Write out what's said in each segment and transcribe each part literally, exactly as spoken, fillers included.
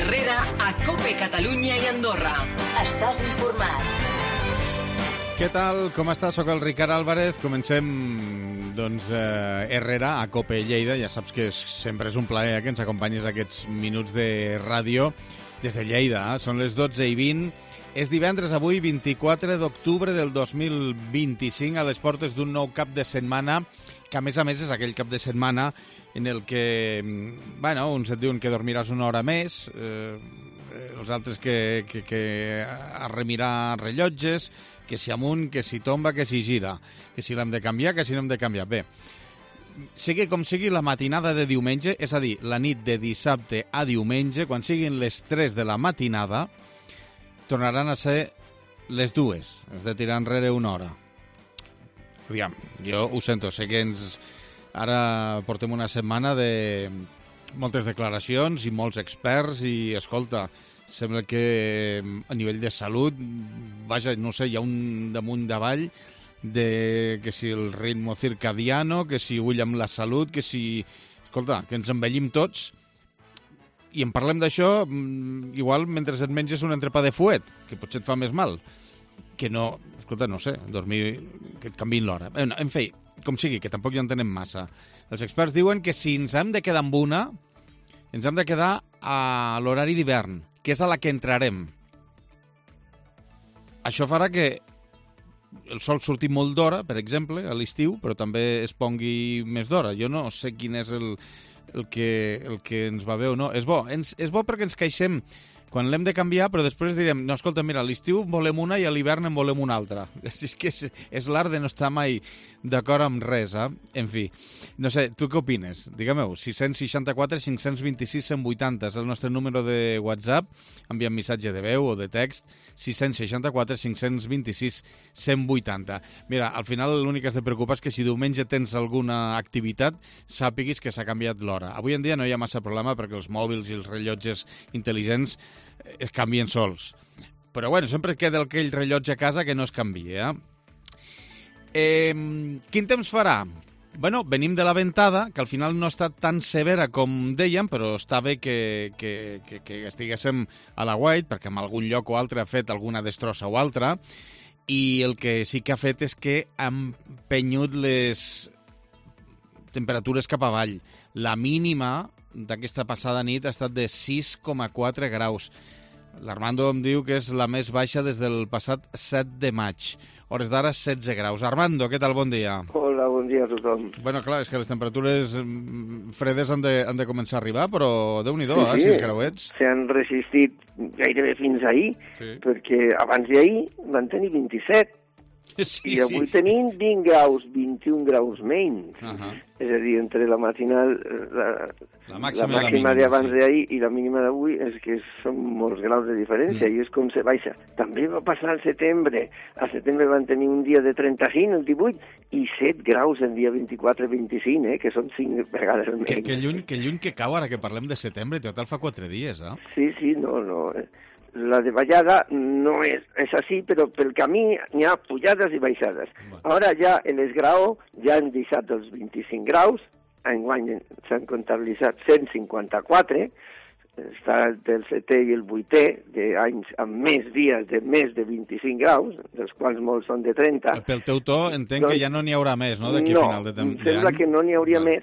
Herrera a COPE Catalunya i Andorra. Estàs informat. Què tal? Com estàs? Soc el Ricard Álvarez. Comencem, doncs, eh, Herrera a COPE Lleida. Ja saps que és, sempre és un plaer eh, que ens acompanyis aquests minuts de ràdio des de Lleida. Eh? Són les dotze i vint. És divendres, avui, vint-i-quatre d'octubre del dos mil vint-i-cinc, a les portes d'un nou cap de setmana, que a més a més és aquell cap de setmana en el que, bueno, uns et diuen que dormiràs una hora més, eh, els altres que, que, que arremirar rellotges, que si amunt, que si tomba, que si gira, que si l'hem de canviar, que si no hem de canviar. Bé, sigui com sigui, la matinada de diumenge, és a dir, la nit de dissabte a diumenge, quan siguin les tres de la matinada, tornaran a ser les dues. Has de tirar enrere una hora. Aviam, jo ho sento, sé que ens... Ara portem una setmana de moltes declaracions i molts experts i, escolta, sembla que a nivell de salut, vaja, no sé, hi ha un damunt davall de que si el ritmo circadiano, que si ull amb la salut, que si... Escolta, que ens envellim tots i en parlem d'això igual mentre et menges un entrepà de fuet, que potser et fa més mal. Que no, escolta, no sé, dormir, que et canviïn l'hora. En fi, com sigui, que tampoc ja en tenem massa. Els experts diuen que si ens hem de quedar amb una, ens hem de quedar a l'horari d'hivern, que és a la que entrarem. Això farà que el sol surti molt d'hora, per exemple, a l'estiu, però també es pongui més d'hora. Jo no sé quin és el, el, que, el que ens va bé o no. És bo, ens, és bo perquè ens queixem quan l'hem de canviar, però després direm, no, escolta, mira, a l'estiu volem una i a l'hivern en volem una altra. És que és, és l'art de no estar mai d'acord amb res, eh? En fi, no sé, tu què opines? Digue-m'ho, sis sis quatre cinc dos sis cent vuitanta és el nostre número de WhatsApp, envia'm missatge de veu o de text, sis sis quatre cinc dos sis cent vuitanta. Mira, al final l'únic que has de preocupar és que si diumenge tens alguna activitat, sàpiguis que s'ha canviat l'hora. Avui en dia no hi ha massa problema perquè els mòbils i els rellotges intel·ligents es canvien sols. Però, bueno, sempre queda aquell rellotge a casa que no es canvia. Eh? Eh, quin temps farà? Bueno, venim de la ventada, que al final no ha estat tan severa com dèiem, però està bé que, que, que, que estiguéssim a la White, perquè en algun lloc o altre ha fet alguna destrossa o altra, i el que sí que ha fet és que ha empenyut les temperatures cap avall. La mínima d'aquesta passada nit ha estat de sis coma quatre graus. L'Armando em diu que és la més baixa des del passat set de maig. Hores d'ara, setze graus. Armando, què tal? Bon dia. Hola, bon dia a tothom. Bueno, clar, és que les temperatures fredes han de, han de començar a arribar, però Déu-n'hi-do, sí, sí. eh, sis grauets. S'han resistit gairebé fins ahir, sí. Perquè abans d'ahir van tenir vint-i-set. Sí, i avui sí. Tenim vint graus, vint-i-un graus menys. Uh -huh. És a dir, entre la matinal, la, la màxima, la màxima d'abans sí. d'ahir i la mínima d'avui és que són molts graus de diferència, mm. i és com se baixa. També va passar al setembre. Al setembre van tenir un dia de trenta-cinc, el divuit, i set graus el dia vint-i-quatre vint-i-cinc, eh, que són cinc vegades menys. Que, que, lluny, que lluny que cau ara que parlem de setembre, total fa quatre dies, eh? Sí, sí, no, no... La de bajada no és, és així, però pel camí n'hi ha pujades i baixades. Bueno. Ara ja en l'esgrau ja han deixat els vint-i-cinc graus, enguany s'han comptabilitzat cent cinquanta-quatre, està el setè i el vuitè d'anys amb més dies de més de vint-i-cinc graus, dels quals molts són de trenta. Pel teu to entenc doncs, que ja no n'hi haurà més, no?, d'aquí no, a final de temps. No, sembla que no n'hi hauria no. més.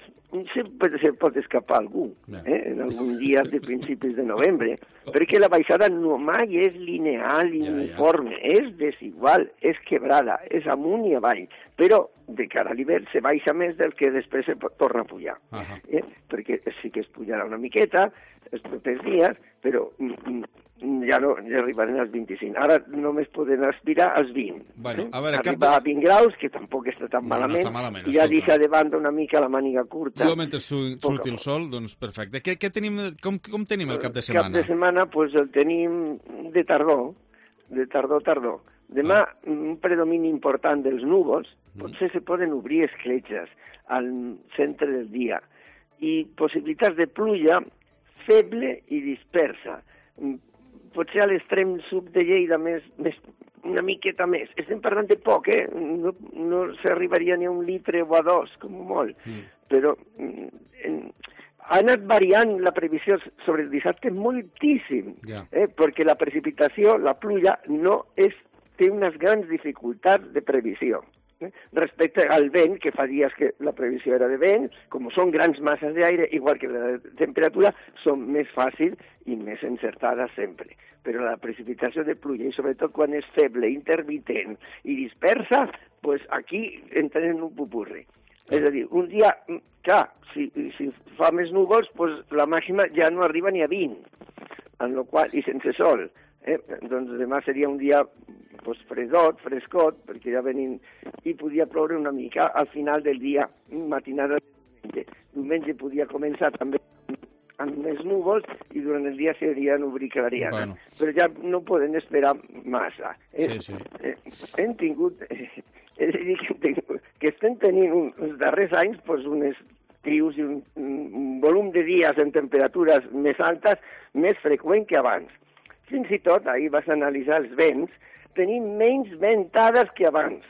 Sempre se pot escapar algú, eh? En algun dia de principis de novembre, perquè la baixada no mai és lineal i ja, uniforme, ja. És desigual, és quebrada, és amunt i avall, però de cara a l'hivern se baixa més del que després se pot, torna a pujar, uh -huh. eh? Perquè sí que es pujarà una miqueta els propers dies, però ja no ja arribarem als vint-i-cinc. Ara només poden aspirar als vint. Bueno, a veure, Arribar cap... a vint graus, que tampoc està tan no, malament, no està malament, i ja deixar de banda una mica la màniga curta. Jo, mentre su surti el sol, doncs perfecte. Què, què tenim, com, com tenim el cap de setmana? El cap de setmana, pues, el tenim de tardor, de tardor-tardor. Demà, ah. un predomini important dels núvols, potser mm. se poden obrir escletxes al centre del dia, i possibilitats de pluja feble i dispersa. Potser a l'extrem sud de Lleida més, més, una miqueta més. Estem parlant de poc, eh? No, no s'arribaria ni a un litre o a dos, com molt. Mm. Però en, ha anat variant la previsió sobre el dissabte moltíssim, yeah. eh, perquè la precipitació, la pluja, no és, té unes grans dificultats de previsió. Eh? Respecte al vent, que fa dies que la previsió era de vent, com són grans masses d'aire, igual que la temperatura, són més fàcils i més encertades sempre. Però la precipitació de pluja, i sobretot quan és feble, intermitent i dispersa, pues aquí entrem en un pupurri. És a dir, un dia, clar, si, si fa més núvols, pues la màxima ja no arriba ni a vint, en lo qual, i sense sol. Eh? Doncs demà seria un dia pues, fredot, frescot, perquè ja venim, i podia ploure una mica al final del dia, matinada de diumenge. Diumenge podia començar també amb més núvols i durant el dia seria nubri clariana. Bueno. Però ja no poden esperar massa. Eh? Sí, sí. Eh, hem tingut... Eh, és a dir, que, que estem tenint un, els darrers anys pues, unes trius i un, un volum de dies en temperatures més altes més freqüent que abans. Fins i tot, ahir vas analitzar els vents, tenim menys ventades que abans.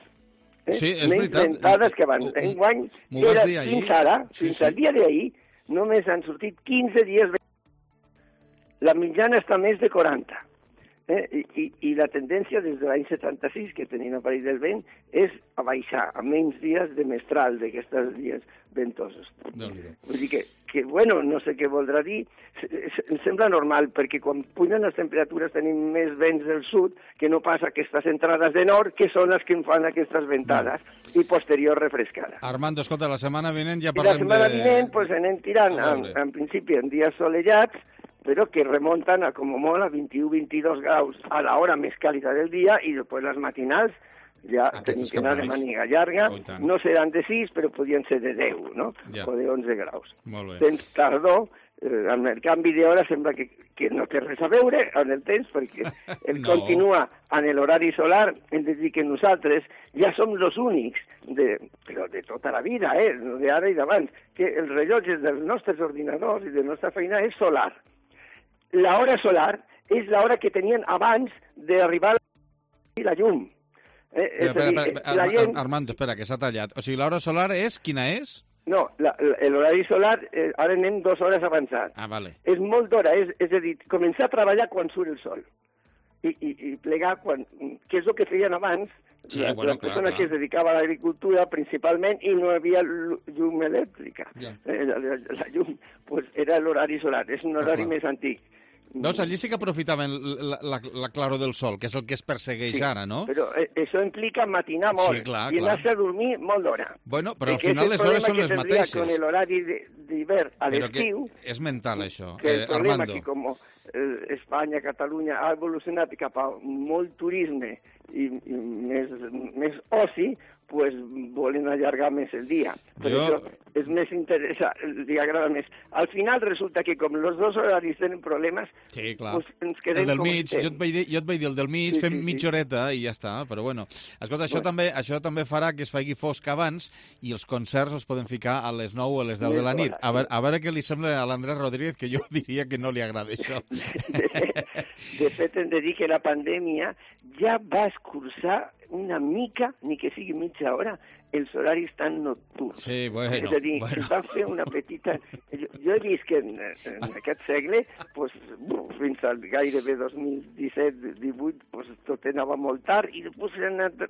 Eh? Sí, és menys veritat. ventades que abans. Enguany, era, fins ara, sí, fins sí. al dia d'ahir, només han sortit quinze dies. La mitjana està més de quaranta. Eh? I, i, I la tendència des de l'any setanta-sis, que tenim a París del vent, és a baixar a menys dies de mestral d'aquestes dies ventosos. Vull dir que, que, bueno, no sé què voldrà dir, em sembla normal, perquè quan pugen les temperatures tenim més vents del sud que no pas aquestes entrades de nord, que són les que em fan aquestes ventades, no. I posterior refrescada. Armando, escolta, la setmana vinent ja I parlem de... la setmana vinent, pues, anem tirant, en, en principi, en dies solellats, però que remonten a, com molt, a vint-i-u a vint-i-dos graus a l'hora més càlida del dia i després les matinals ja tenim que anar de màniga llarga. Oh, no seran de sis, però podien ser de deu, no? Ja. O de onze graus. Molt bé. Temps tardor, eh, amb el canvi d'hora sembla que, que no té res a veure amb el temps, perquè el no. Continua en l'horari solar, hem de dir que nosaltres ja som els únics, de, però de tota la vida, eh, d'ara i d'abans, que els rellotges dels nostres ordinadors i de la nostra feina és solar. La hora solar és l'hora que tenien abans d'arribar a la llum. Eh, espera, espera, espera, la gent... Armando, espera, que s'ha tallat. O sigui, l'hora solar és, quina és? No, l'horari solar, eh, ara anem dues hores avançat. Ah, vale. És molt d'hora, és, és a dir, començar a treballar quan surt el sol. I, i, i plegar quan... que és el que feien abans, sí, la, bueno, la persona clar, clar. que es dedicava a l'agricultura principalment i no hi havia llum elèctrica. Yeah. Eh, la, la, la llum pues, era l'horari solar, és un horari ah, més antic. Doncs allí sí que aprofitaven la, la, la claror del sol, que és el que es persegueix sí, ara, no? Però eh, això implica matinar molt sí, clar, i anar-se a dormir molt d'hora. Bueno, però al final les hores són les mateixes. Con l'horari d'hivern a l'estiu... És mental, això, que el eh, problema Armando. que com eh, Espanya, Catalunya ha evolucionat cap a molt turisme i, i més, més oci, pues volen allargar més el dia. Per jo... això és més interessant, li agrada més. Al final resulta que com els dos horaris tenen problemes, sí, clar. Pues ens quedem el del com mig, jo et, vaig dir, jo et vaig dir el del mig, sí, fem sí, mitja horeta i ja està, però bueno. Escolta, això, bueno. també, això també farà que es faci fosc abans i els concerts els poden ficar a les nou o a les deu de la nit. A veure, a veure què li sembla a l'Andrés Rodríguez, que jo diria que no li agrada això. De fet, de fet, hem de dir que la pandèmia ja va escurçar una mica, ni que sigui mitja hora, els horaris tan nocturns. Sí, bueno, és a dir, bueno. va fer una petita... Jo, jo he vist que en, en aquest segle, pues, fins al gairebé dos mil disset divuit, pues, tot anava molt tard i després s'ha anat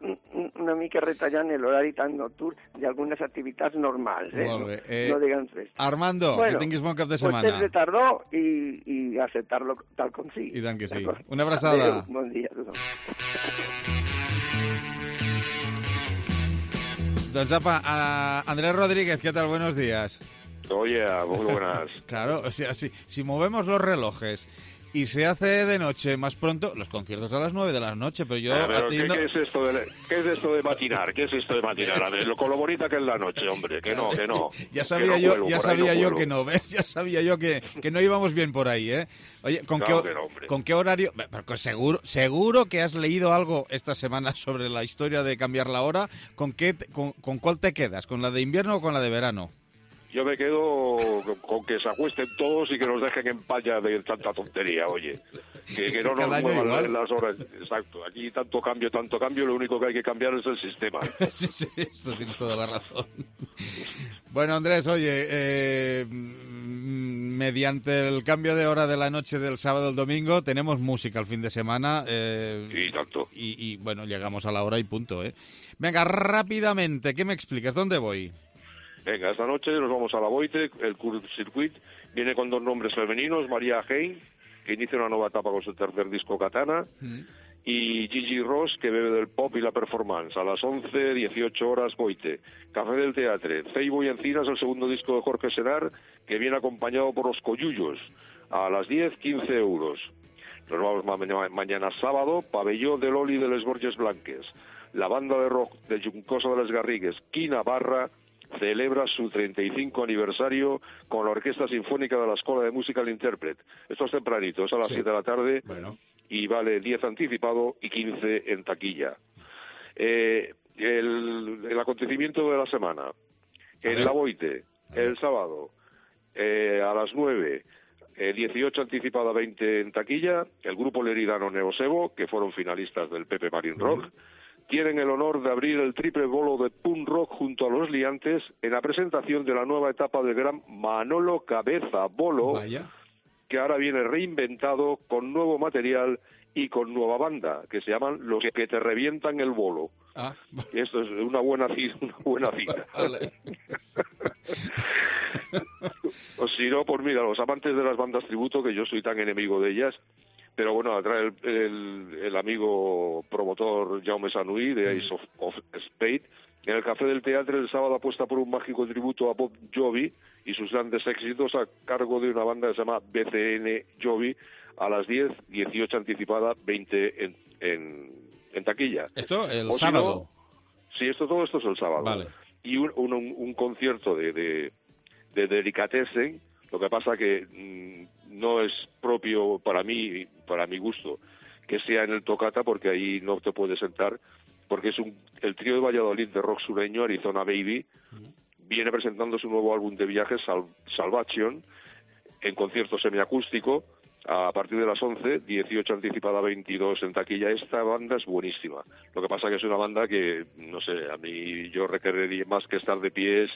una mica retallant l'horari tan nocturn d'algunes activitats normals, eh? Molt bé. Eh, no, no de grans festes. Armando, bueno, que tinguis bon cap de setmana. Pues temps de tardor i, i acceptar-lo tal com sigui. I tant que sí. Una abraçada. Adéu, bon dia a tothom. Doncs apa, uh, Andrés Rodríguez, ¿qué tal? Buenos días. Oye, muy buenas. Claro, o sea, si, si movemos los relojes y se hace de noche más pronto, los conciertos a las nueve de la noche, pero yo... Ah, pero ¿qué, no... ¿qué, es esto de, ¿Qué es esto de matinar? ¿Qué es esto de matinar? Lo, con lo bonita que es la noche, hombre, que no, que no. Ya sabía que yo, no ya vuelvo, sabía no yo vuelvo. que no, ¿ves? Ya sabía yo que, que no íbamos bien por ahí, ¿eh? Oye, ¿con, claro qué, que no, hombre. ¿con qué horario? Porque seguro, seguro que has leído algo esta semana sobre la historia de cambiar la hora. ¿Con, qué, con, ¿Con cuál te quedas? ¿Con la de invierno o con la de verano? Yo me quedo con que se acuesten todos y que nos dejen en paz ya de tanta tontería, oye. Que, que no nos muevan las horas. Exacto. Aquí tanto cambio, tanto cambio, lo único que hay que cambiar es el sistema. Sí, sí, esto tienes toda la razón. Bueno, Andrés, oye, eh, mediante el cambio de hora de la noche del sábado al domingo tenemos música el fin de semana. Eh, y tanto. Y, y bueno, llegamos a la hora y punto, ¿eh? Venga, rápidamente, ¿qué me explicas? ¿Dónde voy? Venga, esta noche nos vamos a la Boite, el Curve Circuit. Viene con dos nombres femeninos, María Hein, que inicia una nueva etapa con su tercer disco Katana, mm. y Gigi Ross, que bebe del pop y la performance. A las once, dieciocho horas, Boite. Café del Teatre. Feibo y Encinas, el segundo disco de Jorge Senar, que viene acompañado por los Coyullos. A las diez, quince euros. Nos vamos ma ma mañana sábado, Pabellón de Loli de les Borges Blanques. La banda de rock de Juncosa de les Garrigues, Quina Barra, celebra su treinta y cinco aniversario con la Orquesta Sinfónica de la Escuela de Música El Intérpret. Esto es tempranito, es a las sí. siete de la tarde, bueno. Y vale diez anticipado y quince en taquilla. Eh, el, el acontecimiento de la semana. En la Boite, el sábado, eh, a las nueve, eh, dieciocho anticipada, veinte en taquilla, el grupo leridano Neosebo, que fueron finalistas del Pepe Marín Rock, uh-huh. tienen el honor de abrir el triple bolo de punk rock junto a los Liantes en la presentación de la nueva etapa del gran Manolo Cabeza Bolo, Vaya. que ahora viene reinventado con nuevo material y con nueva banda, que se llaman Los que te revientan el bolo. Ah. Y esto es una buena cita. Una buena cita. Vale. O si no, pues mira, los amantes de las bandas tributo, que yo soy tan enemigo de ellas, pero bueno, atrae el, el, el amigo promotor Jaume Sanui de Ace of, of Spade. En el Café del Teatre el sábado apuesta por un mágico tributo a Bob Jovi y sus grandes éxitos a cargo de una banda que se llama B C N Jovi a las diez, dieciocho anticipada, veinte en, en, en taquilla. ¿Esto el o sábado? Si no, sí, esto, todo esto es el sábado. Vale. Y un, un, un concierto de, de, de Delicatessen. Lo que pasa que mmm, no es propio para mí, para mi gusto, que sea en el Tocata, porque ahí no te puedes sentar, porque es un, el trío de Valladolid de rock sureño, Arizona Baby, uh-huh. viene presentando su nuevo álbum de viajes, Sal, Salvation, en concierto semiacústico, a partir de las once, dieciocho anticipada, veintidós en taquilla. Esta banda es buenísima. Lo que pasa que es una banda que, no sé, a mí yo requeriría más que estar de pies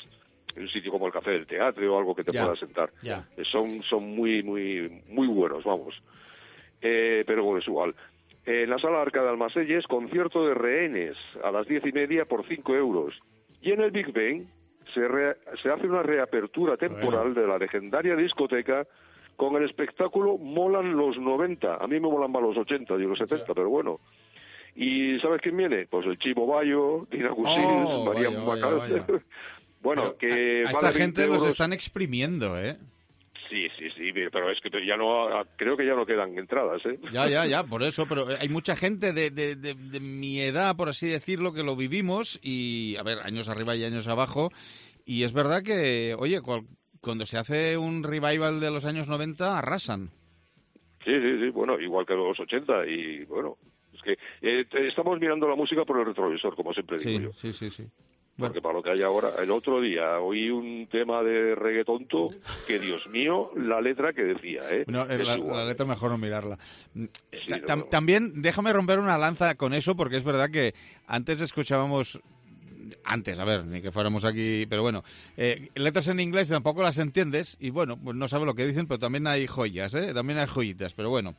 en un sitio como el Café del Teatre o algo que te yeah. pueda sentar. Yeah. Son, son muy, muy, muy buenos, vamos. Eh, pero bueno, es igual. En la Sala Arca de Almacelles, concierto de Rehenes, a las diez y media por cinco euros. Y en el Big Ben se, re, se hace una reapertura temporal bueno. de la legendaria discoteca con el espectáculo Molan los noventa. A mí me molan más los ochenta y los setenta, pero bueno. ¿Y sabes quién viene? Pues el Chivo Bayo, Dina Gusils, oh, María Macal. Bueno, pero que... A, a esta gente euros. Los están exprimiendo, ¿eh? Sí, sí, sí, pero es que ya no, creo que ya no quedan entradas, ¿eh? Ya, ya, ya, por eso, pero hay mucha gente de, de, de, de mi edad, por así decirlo, que lo vivimos y, a ver, años arriba y años abajo, y es verdad que, oye, cual, cuando se hace un revival de los años noventa, arrasan. Sí, sí, sí, bueno, igual que los ochenta, y bueno, es que eh, estamos mirando la música por el retrovisor, como siempre digo sí, yo. Sí, sí, sí. Porque bueno. Para lo que hay ahora, el otro día oí un tema de reggaetonto que, Dios mío, la letra que decía, ¿eh? No, la, la letra mejor no mirarla. Sí, Tam, no. También déjame romper una lanza con eso, porque es verdad que antes escuchábamos... Antes, a ver, ni que fuéramos aquí, pero bueno, eh, letras en inglés tampoco las entiendes y bueno, pues no sabes lo que dicen, pero también hay joyas, ¿eh? También hay joyitas, pero bueno.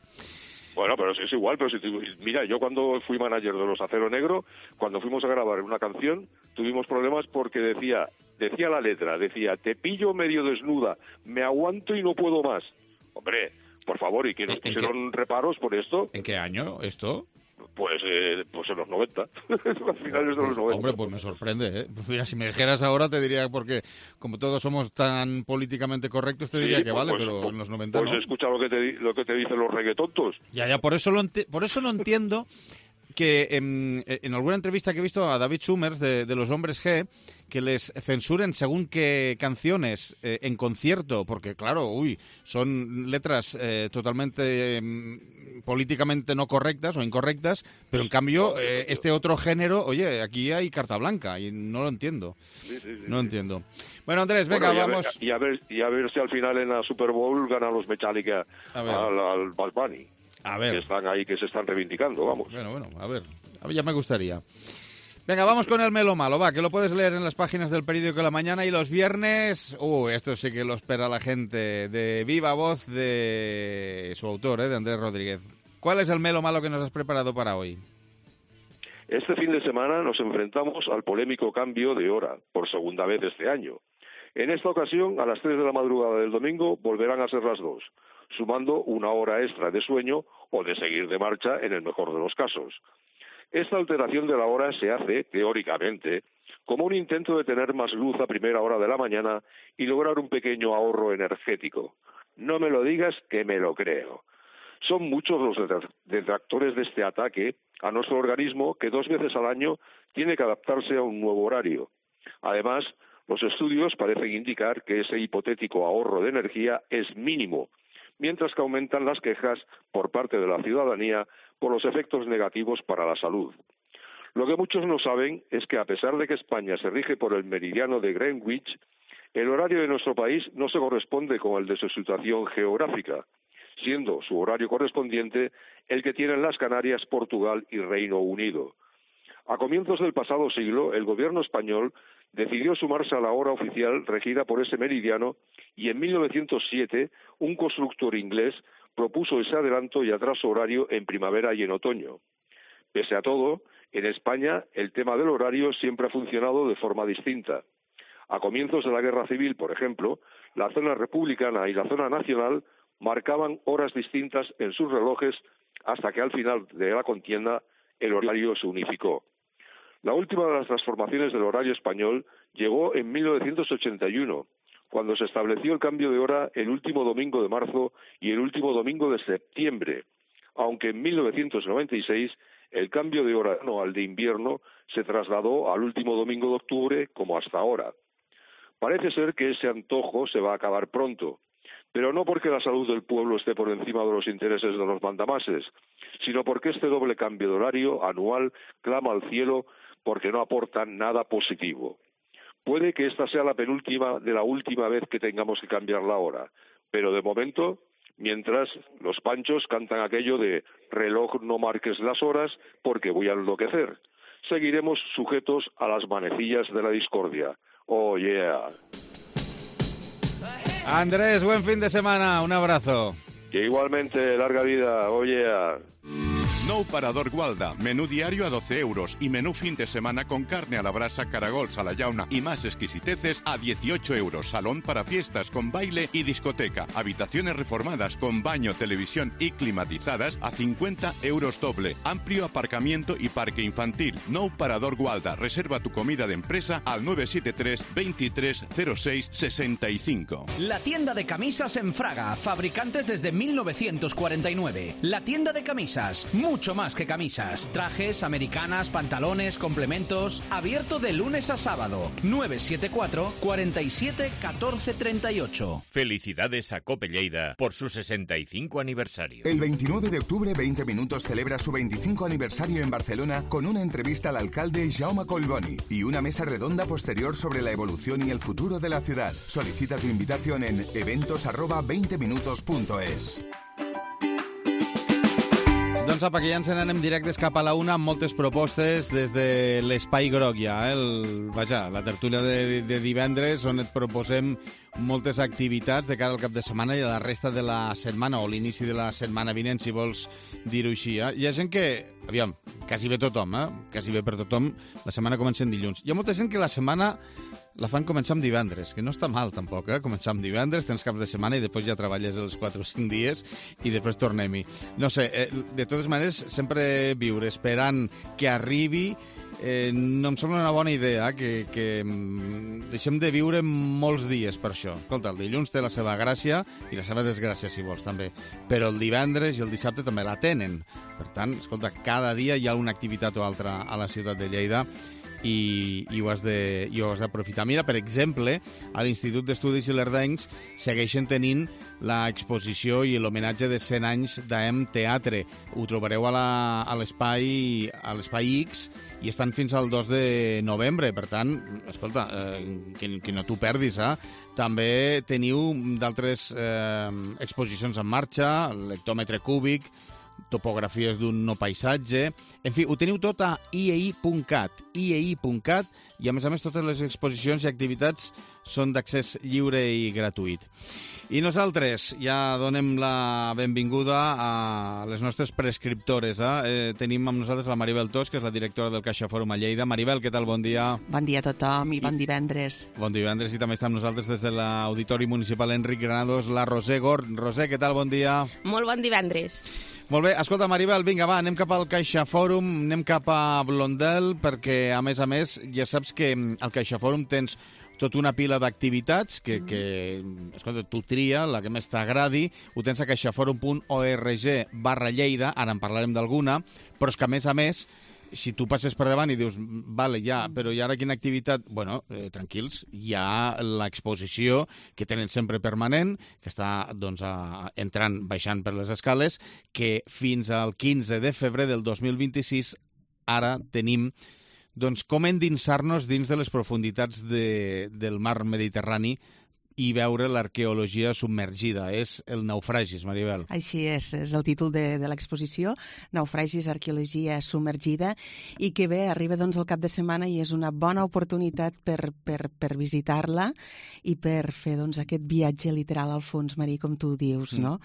Bueno, pero es igual, pero si te, mira, yo cuando fui manager de los Acero Negro, cuando fuimos a grabar una canción, tuvimos problemas porque decía, decía la letra, decía, te pillo medio desnuda, me aguanto y no puedo más. Hombre, por favor, ¿y que nos pusieron qué? reparos por esto? ¿En qué año esto? Pues, eh, pues en los noventa, a finales de los noventa. Hombre, pues me sorprende, ¿eh? Pues mira, si me dijeras ahora te diría, porque como todos somos tan políticamente correctos, te diría sí, que pues, vale, pues, pero pues, en los noventa pues no. Pues escucha lo que te, lo que te dicen los reggaetontos. Ya, ya, por eso, lo por eso no entiendo que en, en alguna entrevista que he visto a David Summers de, de Los Hombres G, que les censuren según qué canciones eh, en concierto, porque claro, uy, son letras eh, totalmente eh, políticamente no correctas o incorrectas, pero en cambio eh, este otro género, oye, aquí hay carta blanca y no lo entiendo. Sí, sí, sí, no lo entiendo. Bueno, Andrés, venga, bueno, y vamos. A ver, y, a ver, y a ver si al final en la Super Bowl ganan los Metallica al, al Bad Bunny. A ver. Que están ahí, que se están reivindicando, vamos. Bueno, bueno, a ver, a ver, ya me gustaría. Venga, vamos con el Melo Malo, va, que lo puedes leer en las páginas del periódico de la mañana y los viernes, uh, esto sí que lo espera la gente, de viva voz de su autor, ¿eh? de Andrés Rodríguez. ¿Cuál es el Melo Malo que nos has preparado para hoy? Este fin de semana nos enfrentamos al polémico cambio de hora, por segunda vez este año. En esta ocasión, a las tres de la madrugada del domingo, volverán a ser las dos, sumando una hora extra de sueño o de seguir de marcha en el mejor de los casos. Esta alteración de la hora se hace, teóricamente, como un intento de tener más luz a primera hora de la mañana y lograr un pequeño ahorro energético. No me lo digas, que me lo creo. Son muchos los detractores de este ataque a nuestro organismo que dos veces al año tiene que adaptarse a un nuevo horario. Además, los estudios parecen indicar que ese hipotético ahorro de energía es mínimo, mientras que aumentan las quejas por parte de la ciudadanía por los efectos negativos para la salud. Lo que muchos no saben es que a pesar de que España se rige por el meridiano de Greenwich, el horario de nuestro país no se corresponde con el de su situación geográfica, siendo su horario correspondiente el que tienen las Canarias, Portugal y Reino Unido. A comienzos del pasado siglo, el gobierno español decidió sumarse a la hora oficial regida por ese meridiano y en mil novecientos siete un constructor inglés propuso ese adelanto y atraso horario en primavera y en otoño. Pese a todo, en España el tema del horario siempre ha funcionado de forma distinta. A comienzos de la Guerra Civil, por ejemplo, la zona republicana y la zona nacional marcaban horas distintas en sus relojes hasta que al final de la contienda el horario se unificó. La última de las transformaciones del horario español llegó en mil novecientos ochenta y uno, cuando se estableció el cambio de hora el último domingo de marzo y el último domingo de septiembre, aunque en mil novecientos noventa y seis el cambio de hora anual de invierno se trasladó al último domingo de octubre como hasta ahora. Parece ser que ese antojo se va a acabar pronto, pero no porque la salud del pueblo esté por encima de los intereses de los mandamases, sino porque este doble cambio de horario anual clama al cielo porque no aporta nada positivo. Puede que esta sea la penúltima de la última vez que tengamos que cambiar la hora, pero de momento, mientras los panchos cantan aquello de reloj no marques las horas porque voy a enloquecer, seguiremos sujetos a las manecillas de la discordia. Oh yeah. Andrés, buen fin de semana, un abrazo. Que igualmente, larga vida, oh yeah. Nou Parador Gualda, menú diario a doce euros y menú fin de semana con carne a la brasa, caragols a la llauna y más exquisiteces a dieciocho euros. Salón para fiestas con baile y discoteca. Habitaciones reformadas con baño, televisión y climatizadas a cincuenta euros doble. Amplio aparcamiento y parque infantil. Nou Parador Gualda. Reserva tu comida de empresa al nueve siete tres, veintitrés cero seis sesenta y cinco. La tienda de camisas en Fraga. Fabricantes desde mil novecientos cuarenta y nueve. La tienda de camisas. Mucho más que camisas. Trajes, americanas, pantalones, complementos. Abierto de lunes a sábado. nueve siete cuatro, cuarenta y siete, catorce treinta y ocho. Felicidades a Cope Lleida por su sesenta y cinco aniversario. El veintinueve de octubre, veinte minutos celebra su veinticinco aniversario en Barcelona con una entrevista al alcalde Jaume Collboni y una mesa redonda posterior sobre la evolución y el futuro de la ciudad. Solicita tu invitación en eventos arroba veinte minutos punto es. Doncs apa, que ja ens n'anem directes cap a la una amb moltes propostes des de l'Espai Groc ja, eh? El, vaja, la tertúlia de, de divendres on et proposem moltes activitats de cara al cap de setmana i a la resta de la setmana o l'inici de la setmana vinent, si vols dir-ho així. Eh? Hi ha gent que, aviam, quasi bé tothom, eh? quasi bé per tothom, la setmana comença en dilluns. Hi ha molta gent que la setmana la fan començar amb divendres, que no està mal tampoc, eh? Començar amb divendres, tens cap de setmana i després ja treballes els quatre o cinc dies i després tornem-hi. No sé, eh, de totes maneres, sempre viure esperant que arribi eh, no em sembla una bona idea, que, que deixem de viure molts dies per això. Escolta, el dilluns té la seva gràcia i la seva desgràcia, si vols, també. Però el divendres i el dissabte també la tenen. Per tant, escolta, cada dia hi ha una activitat o altra a la ciutat de Lleida i, i ho has de, i ho has d'aprofitar. Mira, per exemple, a l'Institut d'Estudis Ilerdencs segueixen tenint l'exposició i l'homenatge de cent anys d'A E M Teatre. Ho trobareu a la- a l'espai a l'espai X i estan fins al dos de novembre. Per tant, escolta, eh, que, que no t'ho perdis, eh? També teniu d'altres eh, exposicions en marxa, el lectòmetre cúbic, topografies d'un no paisatge... En fi, ho teniu tot a i e i punt cat, i e i punt cat, i a més a més totes les exposicions i activitats són d'accés lliure i gratuït. I nosaltres ja donem la benvinguda a les nostres prescriptores. Eh? Eh, tenim amb nosaltres la Maribel Tos, que és la directora del CaixaForum a Lleida. Maribel, què tal? Bon dia. Bon dia a tothom i bon divendres. Bon divendres, i també està amb nosaltres des de l'Auditori Municipal Enric Granados, la Roser Gort. Roser, què tal? Bon dia. Molt bon divendres. Molt bé, escolta, Maribel, vinga, va, anem cap al CaixaForum, anem cap a Blondel, perquè, a més a més, ja saps que al CaixaForum tens tota una pila d'activitats que, que, escolta, tu tria, la que més t'agradi, ho tens a caixaforum punt org barra Lleida, ara en parlarem d'alguna, però és que, a més a més, si tu passes per davant i dius, vale, ja, però i ara quina activitat? Bueno, eh, tranquils, hi ha l'exposició que tenen sempre permanent, que està doncs, a, entrant, baixant per les escales, que fins al quinze de febrer del dos mil vint-i-sis ara tenim doncs, com endinsar-nos dins de les profunditats de, del mar Mediterrani i veure l'arqueologia submergida. És el Naufragis, Maribel. Així és, és el títol de, de l'exposició, Naufragis, arqueologia submergida, i que bé, arriba doncs el cap de setmana i és una bona oportunitat per, per, per visitar-la i per fer doncs, aquest viatge literal al fons marí, com tu dius, mm. no?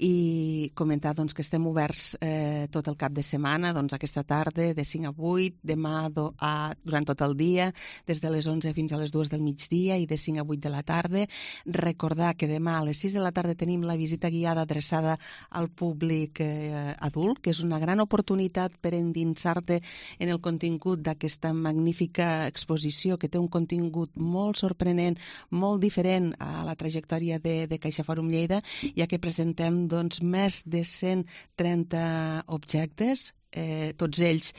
I comentar doncs, que estem oberts eh, tot el cap de setmana, doncs aquesta tarda, de cinc a vuit, demà do, a, durant tot el dia, des de les onze fins a les dues del migdia i de cinc a vuit de la tarda. Recordar que demà a les sis de la tarda tenim la visita guiada adreçada al públic eh, adult, que és una gran oportunitat per endinsar-te en el contingut d'aquesta magnífica exposició que té un contingut molt sorprenent, molt diferent a la trajectòria de, de CaixaForum Lleida, ja que presentem doncs, més de cent trenta objectes, Eh, tots ells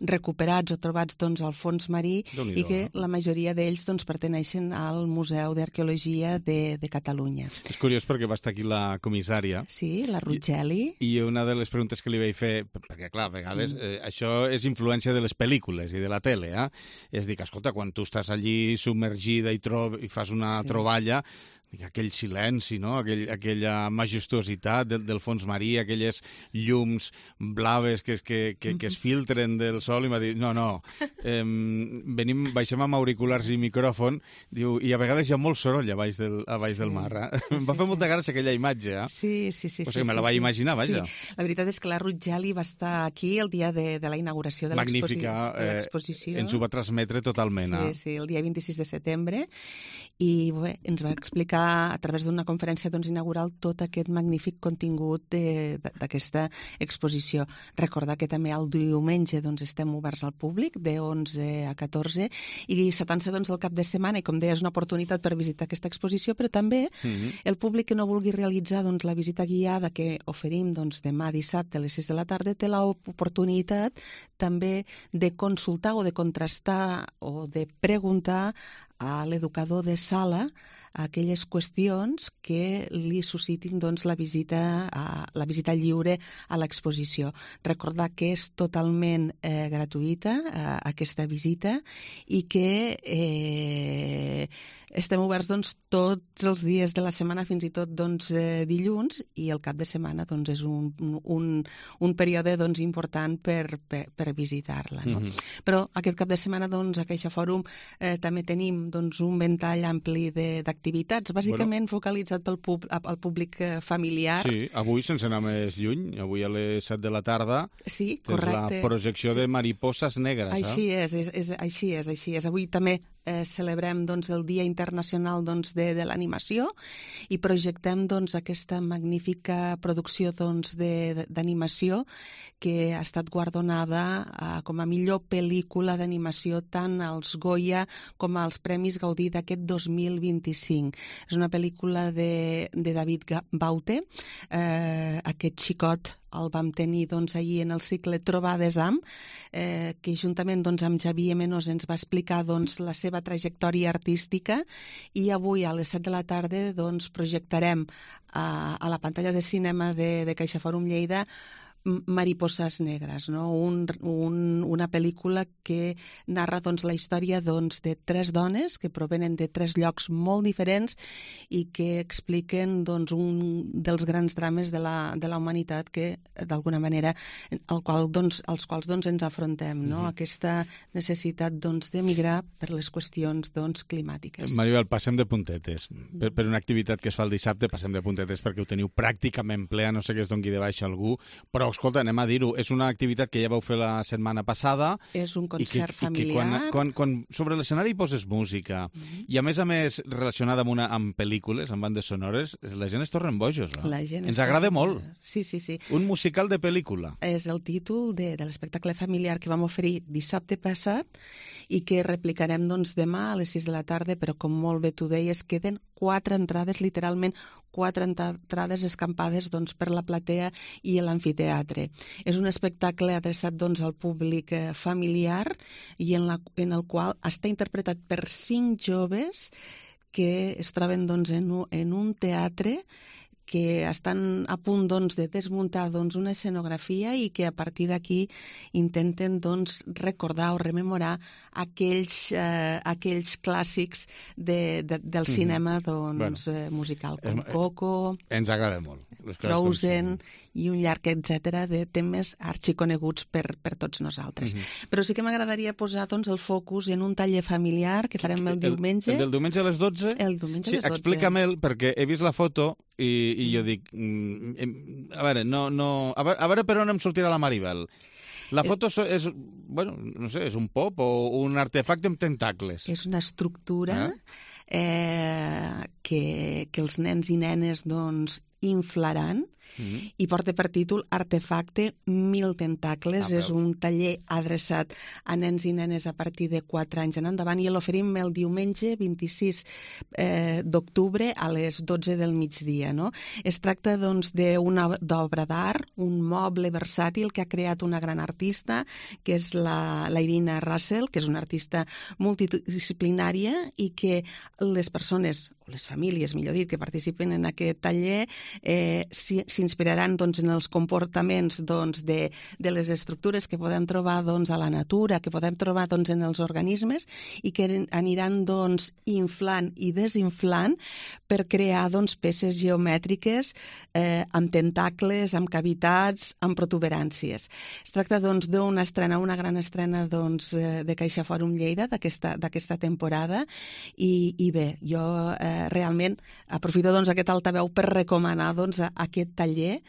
recuperats o trobats doncs, al fons marí i que la majoria d'ells doncs, perteneixen al Museu d'Arqueologia de, de Catalunya. És curiós perquè va estar aquí la comissària. Sí, la Rugeli. I, i una de les preguntes que li vaig fer, perquè clar, a vegades eh, això és influència de les pel·lícules i de la tele, eh? És dir, que escolta, quan tu estàs allí submergida i, tro i fas una sí. troballa, aquell silenci, no? Aquell, aquella majestuositat del, del fons marí, aquelles llums blaves que, que, que, que es filtren del sol, i m'ha dit, no, no, eh, venim, baixem amb auriculars i micròfon, diu, i a vegades hi ha molt soroll a baix del, a baix sí. del mar. Eh? Sí, em va fer sí, molta gràcia aquella imatge, eh? Sí, sí, sí. O sigui, sí, me la vaig sí, imaginar, vaja. Sí. La veritat és que la Rugeli va estar aquí el dia de, de la inauguració de l'exposició. Magnífica, eh, ens ho va transmetre totalment. Sí, sí, el dia vint-i-sis de setembre, i bé, ens va explicar a través d'una conferència doncs, inaugural tot aquest magnífic contingut d'aquesta exposició. Recordar que també el diumenge doncs, estem oberts al públic, de onze a catorze, i setanta doncs, el cap de setmana, i com deia, és una oportunitat per visitar aquesta exposició, però també mm-hmm. el públic que no vulgui realitzar doncs, la visita guiada que oferim doncs, demà dissabte a les sis de la tarda té l'oportunitat també de consultar o de contrastar o de preguntar a l'educador de sala aquelles qüestions que li suscitin doncs, la, visita a, la visita lliure a l'exposició. Recordar que és totalment eh, gratuïta eh, aquesta visita i que eh, estem oberts doncs, tots els dies de la setmana, fins i tot doncs, eh, dilluns, i el cap de setmana doncs, és un, un, un període doncs, important per, per, per visitar-la. No? Mm-hmm. Però aquest cap de setmana doncs, a CaixaForum eh, també tenim doncs, un ventall ampli d'activitats, bàsicament bueno, focalitzat pel pub, al públic familiar. Sí, avui, sense anar més lluny, avui a les set de la tarda, sí, tens correcte. La projecció de Mariposas Negres. Així eh? és, és, és, així és, així és. Avui també eh, celebrem doncs, el Dia Internacional doncs, de, de l'Animació i projectem doncs, aquesta magnífica producció doncs, d'animació que ha estat guardonada eh, com a millor pel·lícula d'animació tant als Goya com als Premis Gaudí d'aquest dos mil vint-i-cinc. És una pel·lícula de, de David Baute, eh, aquest xicot el vam tenir doncs, ahir en el cicle Trobades amb, eh, que juntament doncs, amb Xavier Menós ens va explicar doncs, la seva trajectòria artística, i avui a les set de la tarda doncs, projectarem a, a la pantalla de cinema de, de CaixaForum Lleida Mariposas negres, no? un, un, una pel·lícula que narra doncs, la història doncs, de tres dones que provenen de tres llocs molt diferents i que expliquen doncs, un dels grans drames de la, de la humanitat que, d'alguna manera, al qual, doncs, als quals doncs, ens afrontem, no? Mm-hmm. Aquesta necessitat doncs, d'emigrar per les qüestions doncs, climàtiques. Maribel, passem de puntetes. Per, per una activitat que es fa el dissabte, passem de puntetes perquè ho teniu pràcticament ple, no sé que es doni de baixa algú, però escolta, anem a dir-ho, és una activitat que ja vau fer la setmana passada. És un concert i que, familiar. I que quan, quan, quan sobre l'escenari poses música, mm-hmm. i a més a més relacionada amb, una, amb pel·lícules, amb bandes sonores, la gent es tornen bojos, no? La gent Ens agrada molt. Sí, sí, sí. Un musical de pel·lícula. És el títol de, de l'espectacle familiar que vam oferir dissabte passat i que replicarem doncs, demà a les sis de la tarda, però com molt bé tu deies, queden quatre entrades, literalment quatre entrades escampades doncs, per la platea i l'amfiteatre. És un espectacle adreçat doncs, al públic eh, familiar i en, la, en el qual està interpretat per cinc joves que es troben doncs, en, un, en un teatre que estan a punt doncs, de desmuntar doncs, una escenografia i que a partir d'aquí intenten doncs, recordar o rememorar aquells, eh, aquells clàssics de, de, del cinema doncs, bueno, eh, musical, com Coco, ens agrada molt. Frozen i un llarg etcètera de temes arxiconeguts per, per tots nosaltres. Mm-hmm. Però sí que m'agradaria posar doncs, el focus en un taller familiar que farem el, el diumenge. El del diumenge a les dotze? El diumenge sí, a les dotze. Explica-me'l, perquè he vist la foto i, i jo dic, mm, a veure, no, no, a veure, a veure per on em sortirà la Maribel. La foto és, bueno, no sé, és un pop o un artefacte amb tentacles. És una estructura eh? Eh, que, que els nens i nenes doncs, inflaran. Mm-hmm. I porta per títol Artefacte Mil Tentacles. Ah, és un taller adreçat a nens i nenes a partir de quatre anys en endavant i l'oferim el diumenge vint-i-sis eh, d'octubre a les dotze del migdia. No? Es tracta doncs, d'una obra d'art, un moble versàtil que ha creat una gran artista, que és la, la Irina Russell, que és una artista multidisciplinària i que les persones, o les famílies, millor dit, que participen en aquest taller, eh, si, s'inspiraran doncs, en els comportaments doncs, de, de les estructures que podem trobar doncs, a la natura, que podem trobar doncs, en els organismes i que aniran doncs, inflant i desinflant per crear doncs, peces geomètriques eh, amb tentacles, amb cavitats, amb protuberàncies. Es tracta doncs, d'una estrena, una gran estrena doncs, de Caixa Fòrum Lleida d'aquesta d'aquesta temporada i, i bé, jo eh, realment aprofito doncs, aquest altaveu per recomanar doncs, aquest taller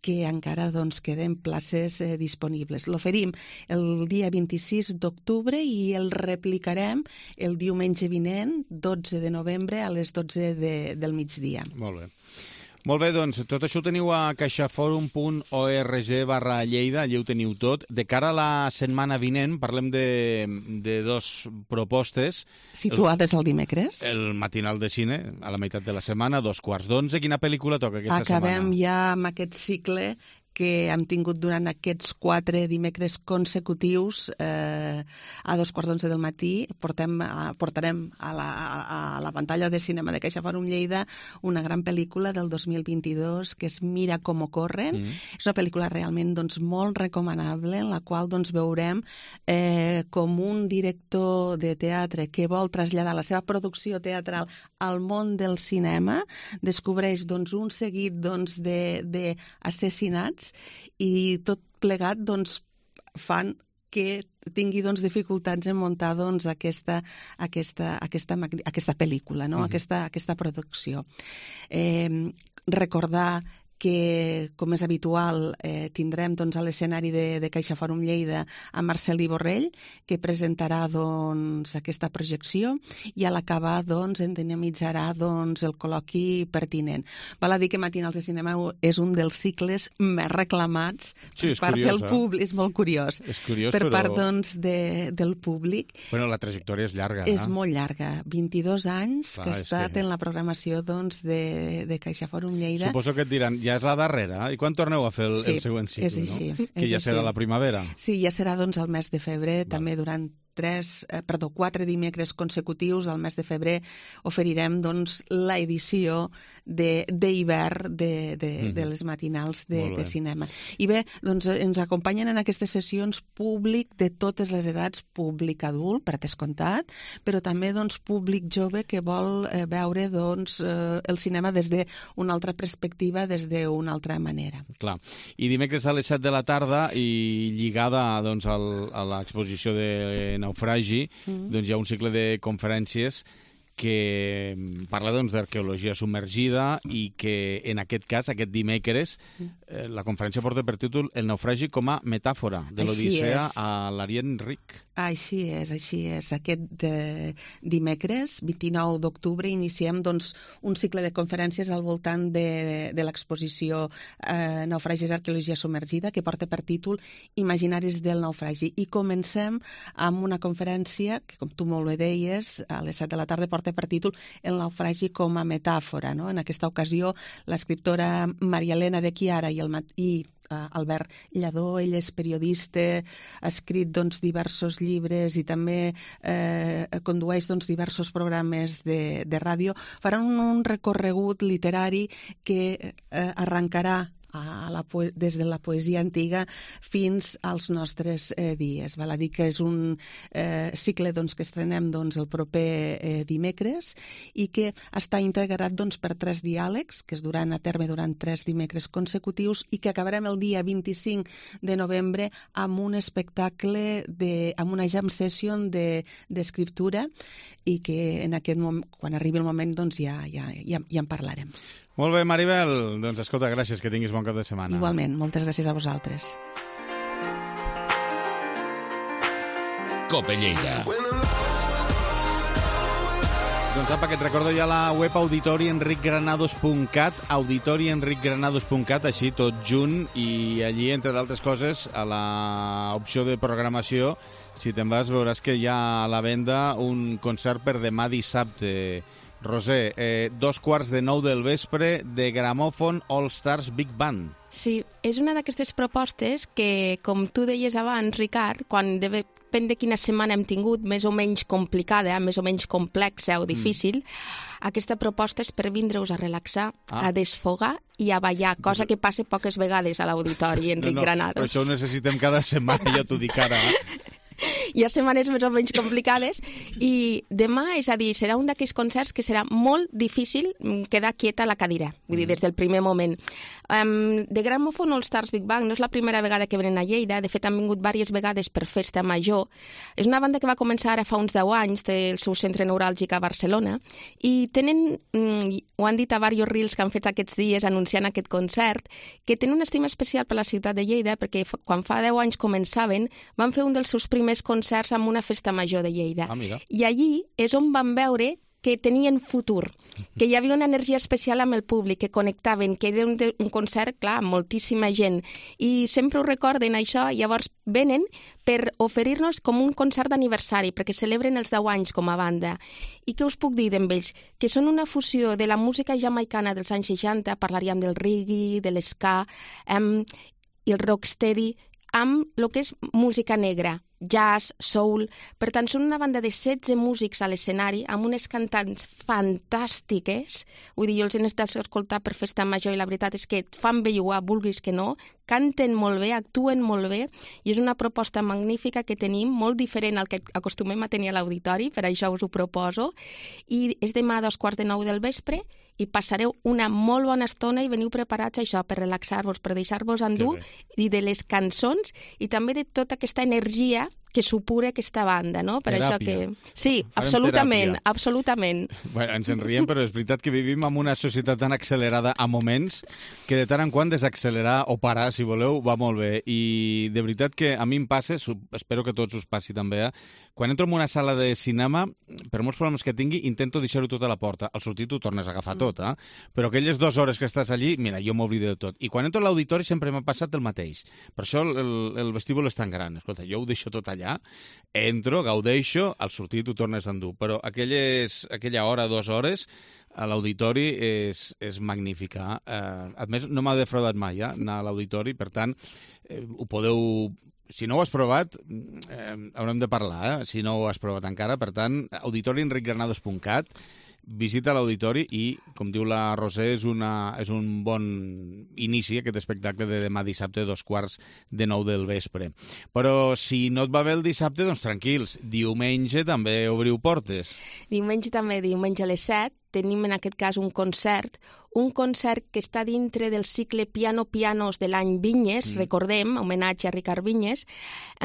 que encara doncs, queden places eh, disponibles. L'oferim el dia vint-i-sis d'octubre i el replicarem el diumenge vinent, dotze de novembre, a les dotze de, del migdia. Molt bé. Molt bé, doncs, tot això ho teniu a caixaforum punt org barra Lleida, allà ho teniu tot. De cara a la setmana vinent, parlem de, de dos propostes. Situades el, el dimecres. El matinal de cine, a la meitat de la setmana, dos quarts d'onze. Quina pel·lícula toca aquesta Acabem setmana? Acabem ja amb aquest cicle que hem tingut durant aquests quatre dimecres consecutius eh, a dos quarts d'onze del matí. Portem, a, portarem a la, a, a la pantalla de cinema de Caixa Fòrum Lleida una gran pel·lícula del dos mil vint-i-dos que és Mira cómo corren. Mm. És una pel·lícula realment doncs, molt recomanable en la qual doncs, veurem eh, com un director de teatre que vol traslladar la seva producció teatral al món del cinema descobreix doncs, un seguit doncs, d'assassinats i tot plegat doncs, fan que tingui doncs, dificultats en muntar doncs, aquesta, aquesta, aquesta, aquesta pel·lícula, no? uh-huh. aquesta, aquesta producció. Eh, recordar que, com és habitual, eh, tindrem doncs, a l'escenari de, de Caixa Fòrum Lleida a Marcel·lí Borrell, que presentarà doncs, aquesta projecció i a l'acabar doncs, en dinamitzarà doncs, el col·loqui pertinent. Val a dir que Matinals de Cinema és un dels cicles més reclamats sí, per part curiós, del públic. Eh? És molt curiós. És curiós, per però... part doncs, de, del públic. Bueno, la trajectòria és llarga. És eh? molt llarga. vint-i-dos anys Clar, que ha estat que... en la programació doncs, de, de Caixa Fòrum Lleida. Suposo que et diran, ja és la darrera. I quan torneu a fer el, sí, el següent cicle? És així, no? Que és ja així. serà la primavera. Sí, ja serà doncs, el mes de febrer, Val. També durant tres, eh, perdó, quatre dimecres consecutius al mes de febrer oferirem doncs, l'edició d'hivern de, de, de, mm-hmm. de les matinals de, de cinema. I bé, doncs, ens acompanyen en aquestes sessions públic de totes les edats, públic adult, per descomptat, però també doncs, públic jove que vol eh, veure doncs, eh, el cinema des d'una altra perspectiva, des d'una altra manera. Clar. I dimecres a les set de la tarda i lligada doncs, al, a l'exposició de Naufragi, mm-hmm. doncs, hi ha un cicle de conferències que parla doncs, d'arqueologia submergida i que en aquest cas, aquest dimecres, eh, la conferència porta per títol El naufragi com a metàfora de l'Odissea a l'Orient Ric. Així és, així és. Aquest eh, dimecres, vint-i-nou d'octubre, iniciem doncs, un cicle de conferències al voltant de, de l'exposició eh, Naufragis arqueologia submergida, que porta per títol Imaginaris del naufragi. I comencem amb una conferència que, com tu molt bé deies, a les set de la tarda porta per títol El naufragi com a metàfora. No? En aquesta ocasió, l'escriptora Maria Elena de Chiara i el i Albert Lladó, ell és periodista, ha escrit doncs, diversos llibres i també eh, condueix doncs, diversos programes de, de ràdio. Faran un, un recorregut literari que eh, arrencarà a la, des de la poesia antiga fins als nostres eh, dies. Val a dir que és un eh, cicle doncs, que estrenem doncs, el proper eh, dimecres i que està integrat doncs, per tres diàlegs que es duran a terme durant tres dimecres consecutius i que acabarem el dia vint-i-cinc de novembre amb un espectacle, de, amb una jam session d'escriptura de, i que en aquest moment, quan arribi el moment doncs, ja, ja, ja, ja en parlarem. Molt bé, Maribel. Doncs escolta, gràcies, que tinguis bon cap de setmana. Igualment, moltes gràcies a vosaltres. Cope Lleida. Doncs apa, que et recordo ja la web auditorienricgranados punt cat, auditorienricgranados punt cat, així tot junt, i allí, entre d'altres coses, a l'opció de programació, si te'n vas, veuràs que hi ha a la venda un concert per demà dissabte. Roser, eh, dos quarts de nou del vespre de Gramòfon All Stars Big Band. Sí, és una d'aquestes propostes que, com tu deies abans, Ricard, quan depèn de quina setmana hem tingut, més o menys complicada, més o menys complexa o difícil, mm. aquesta proposta és per vindre-us a relaxar, ah. a desfogar i a ballar, cosa que passa poques vegades a l'auditori, Enric no, no, Granados. Però això ho necessitem cada setmana, ja t'ho dic ara. Hi ha setmanes més o menys complicades i demà, és a dir, serà un d'aquells concerts que serà molt difícil quedar quieta a la cadira, vull dir, des del primer moment. Um, de Gramòfon All Stars Big Bang no és la primera vegada que venen a Lleida, de fet han vingut diverses vegades per Festa Major. És una banda que va començar ara fa uns deu anys del seu centre neuràlgic a Barcelona i tenen, um, ho han dit a diversos reels que han fet aquests dies anunciant aquest concert, que tenen una estima especial per la ciutat de Lleida perquè quan fa deu anys començaven van fer un dels seus primers més concerts amb una festa major de Lleida. Ah, I allí és on van veure que tenien futur, que hi havia una energia especial amb el públic, que connectaven, que era un, un concert, clar, amb moltíssima gent. I sempre ho recorden, això, i llavors venen per oferir-nos com un concert d'aniversari, perquè celebren els deu anys com a banda. I què us puc dir d'ells? Que són una fusió de la música jamaicana dels anys seixanta, parlaríem del reggae, de l'esca, um, i el rocksteady, amb el que és música negra, jazz, soul. Per tant, són una banda de setze músics a l'escenari amb unes cantants fantàstiques. Vull dir, jo els he estat a escoltar per Festa Major i la veritat és que et fan bellugar, vulguis que no, canten molt bé, actuen molt bé i és una proposta magnífica que tenim, molt diferent al que acostumem a tenir a l'auditori, per això us ho proposo. I és demà a dos quarts de nou del vespre i passareu una molt bona estona i veniu preparats a això, per relaxar-vos, per deixar-vos endur i de les cançons i també de tota aquesta energia que supura aquesta banda, no? Per teràpia. Això que... Sí, Farem absolutament, teràpia. absolutament. Bueno, ens en riem, però és veritat que vivim en una societat tan accelerada a moments que de tant en quant desaccelerar o parar, si voleu, va molt bé. I de veritat que a mi em passa, espero que a tots us passi també, eh? Quan entro en una sala de cinema, per molts problemes que tingui, intento deixar-ho tot a la porta. Al sortir t'ho tornes a agafar mm. tot, eh? Però aquelles dues hores que estàs allí, mira, jo m'oblido de tot. I quan entro a l'auditori sempre m'ha passat el mateix. Per això el, el vestíbul és tan gran. Escolta, jo ho deixo tot allà, entro, gaudeixo, al sortir t'ho tornes a endur. Però aquelles, aquella hora, dues hores, a l'auditori és, és magnífica. Eh, a més, no m'ha defraudat mai, eh, anar a l'auditori, per tant, eh, ho podeu... Si no ho has provat, eh, haurem de parlar, eh, si no ho has provat encara. Per tant, auditori enric granados punt cat, visita l'auditori i, com diu la Roser, és, una, és un bon inici aquest espectacle de demà dissabte, dos quarts de nou del vespre. Però si no et va bé el dissabte, doncs tranquils, diumenge també obriu portes. Diumenge també, diumenge a les set, tenim en aquest cas un concert, un concert que està dintre del cicle Piano Pianos de l'any Vinyes, mm. recordem, homenatge a Ricard Vinyes,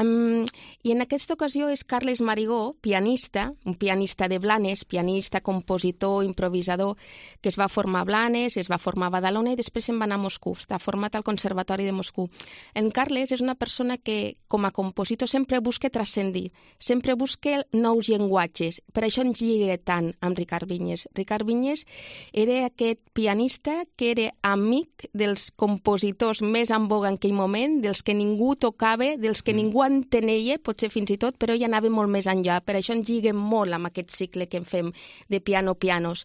um, i en aquesta ocasió és Carles Marigó, pianista, un pianista de Blanes, pianista, compositor, improvisador, que es va formar a Blanes, es va formar a Badalona i després se'n va anar a Moscou, està format al Conservatori de Moscou. En Carles és una persona que, com a compositor, sempre busca transcendir, sempre busca nous llenguatges, per això ens lliga tant amb Ricard Vinyes. Ricard Vinyes era aquest pianista que era amic dels compositors més en voga en aquell moment, dels que ningú tocava, dels que mm. ningú entenia, potser fins i tot, però ell anava molt més enllà. Per això ens lliguem molt amb aquest cicle que en fem de piano pianos.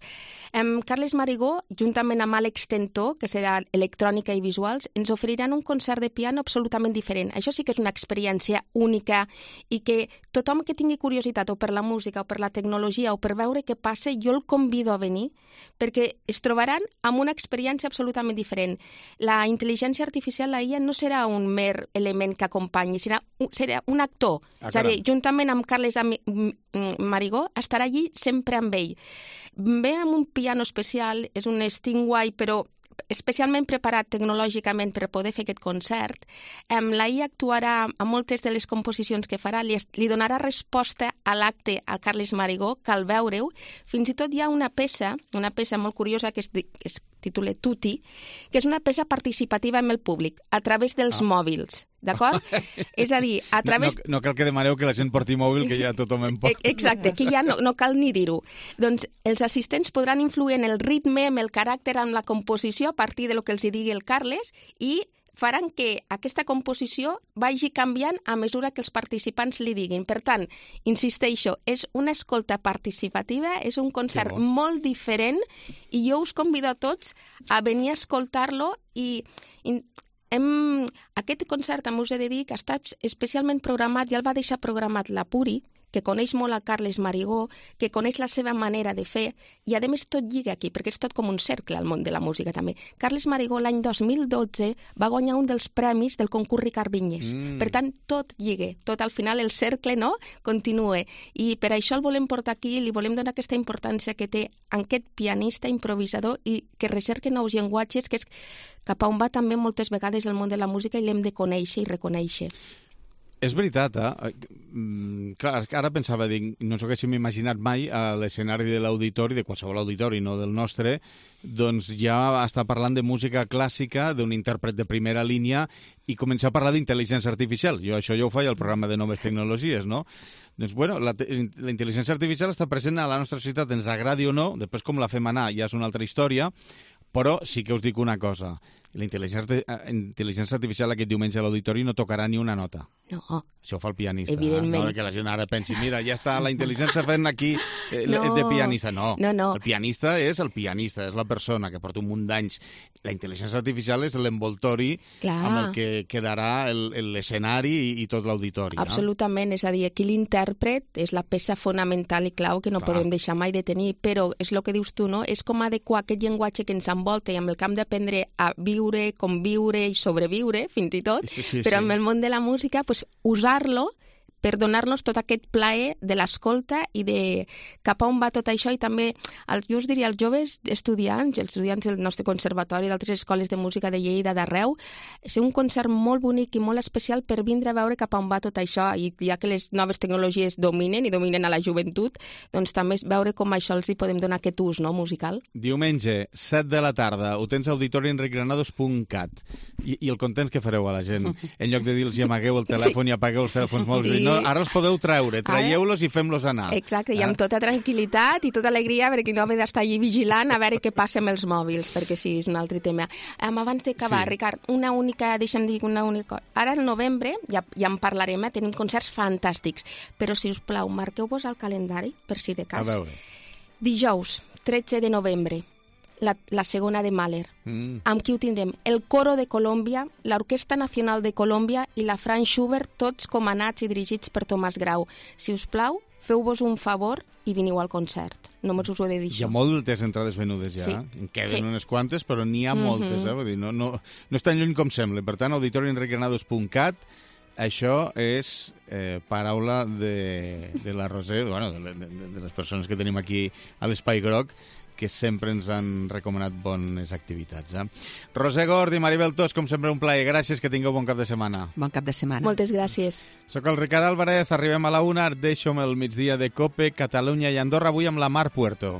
Um, Carles Marigó, juntament amb Àlex Tentó, que serà electrònica i visuals, ens oferiran un concert de piano absolutament diferent. Això sí que és una experiència única i que tothom que tingui curiositat o per la música o per la tecnologia o per veure què passa, jo el convido a venir perquè es trobaran amb una experiència absolutament diferent. La intel·ligència artificial, la I A, no serà un mer element que acompanyi, serà un, serà un actor. Ah, és a dir, juntament amb Carles Marigó, estarà allí sempre amb ell. Ve amb un piano especial, és un Stingway, però especialment preparat tecnològicament per poder fer aquest concert. Um, la I A actuarà a moltes de les composicions que farà, li, li donarà resposta a l'acte al Carles Marigó, que al veure-ho, fins i tot hi ha una peça, una peça molt curiosa que es, que es titula Tutti, que és una peça participativa amb el públic, a través dels ah. mòbils. D'acord? És a dir, a través... No, no, no cal que demaneu que la gent porti mòbil, que ja tothom en porta. Exacte, que ja no, no cal ni dir-ho. Doncs els assistents podran influir en el ritme, en el caràcter, en la composició, a partir de lo que els digui el Carles, i faran que aquesta composició vagi canviant a mesura que els participants li diguin. Per tant, insisteixo, és una escolta participativa, és un concert bon. molt diferent, i jo us convido a tots a venir a escoltar-lo i... i Hem, aquest concert, també us he de dir, que està especialment programat, ja el va deixar programat la Puri, que coneix molt a Carles Marigó, que coneix la seva manera de fer, i a més tot lliga aquí, perquè és tot com un cercle al món de la música també. Carles Marigó l'any dos mil dotze va guanyar un dels premis del concurs Ricard Vinyes. Mm. Per tant, tot lliga, tot al final el cercle no continua. I per això el volem portar aquí, li volem donar aquesta importància que té aquest pianista improvisador i que recerca nous llenguatges, que és cap a on va també moltes vegades el món de la música i l'hem de conèixer i reconèixer. És veritat, eh? Mm, clar, ara pensava, dic, no ens ho haguéssim imaginat mai a l'escenari de l'auditori, de qualsevol auditori, no del nostre, doncs ja està parlant de música clàssica, d'un intèrpret de primera línia, i començar a parlar d'intel·ligència artificial. Jo això ja ho faig al programa de Noves Tecnologies, no? Doncs, bueno, la, la intel·ligència artificial està present a la nostra societat, ens agradi o no, després com la fem anar ja és una altra història, però sí que us dic una cosa, la intel·ligència, intel·ligència artificial aquest diumenge a l'auditori no tocarà ni una nota. No. Això ho fa el pianista. Evidentment. Eh? No que la gent ara pensi, mira, ja està la intel·ligència fent aquí eh, no. de pianista. No. no, no. El pianista és el pianista, és la persona que porta un munt d'anys. La intel·ligència artificial és l'envoltori amb el que quedarà l'escenari i, i tot l'auditori. Absolutament, no? És a dir, aquí l'intèrpret és la peça fonamental i clau que no Clar. podem deixar mai de tenir, però és el que dius tu, no? És com adequar aquest llenguatge que ens envolta i amb el que hem d'aprendre a viure, conviure i sobreviure, fins i tot, sí, sí, però sí. amb el món de la música, pues, usar-lo per donar-nos tot aquest plaer de l'escolta i de cap a on va tot això, i també, el, jo us diria, els joves estudiants, els estudiants del nostre conservatori, d'altres escoles de música de Lleida, d'arreu, és un concert molt bonic i molt especial per vindre a veure cap a on va tot això, i ja que les noves tecnologies dominen i dominen a la joventut, doncs també veure com això els hi podem donar aquest ús, no?, musical. Diumenge, set de la tarda, ho tens a auditori enric granados punt cat. I, i el contents que fareu a la gent? En lloc de dir-los i amagueu el telèfon sí. i apagueu els telèfons mòbils, sí. no, ara els podeu treure, traieu-los i fem-los anar. Exacte, i amb tota tranquil·litat i tota alegria, perquè no haver d'estar allí vigilant a veure què passa amb els mòbils, perquè sí, és un altre tema. Um, abans d'acabar, sí. Ricard, una única, deixa'm dir una única cosa. Ara al novembre, ja, ja en parlarem, eh? Tenim concerts fantàstics, però si us plau, marqueu-vos al calendari, per si de cas. A veure. Dijous, tretze de novembre, la, la segona de Mahler. Mm. Amb qui ho tindrem? El Coro de Colòmbia, l'Orquestra Nacional de Colòmbia i la Franz Schubert, tots comandats i dirigits per Tomàs Grau. Si us plau, feu-vos un favor i veniu al concert. Només us ho he de dir. Hi ha moltes entrades venudes ja. Sí. En queden sí. unes quantes, però n'hi ha moltes. Mm-hmm. Eh? Vull dir, no, no, no és tan lluny com sembla. Per tant, auditori enric granados punt cat, això és eh, paraula de, de la Roser, bueno, de, de, de les persones que tenim aquí a l'Espai Groc, que sempre ens han recomanat bones activitats. Eh? Roser Gord i Maribel Tos, com sempre, un plaer. Gràcies, que tingueu bon cap de setmana. Bon cap de setmana. Moltes gràcies. Soc el Ricard Álvarez, arribem a la una, deixo-me el migdia de COPE, Catalunya i Andorra, avui amb la Mar Puerto.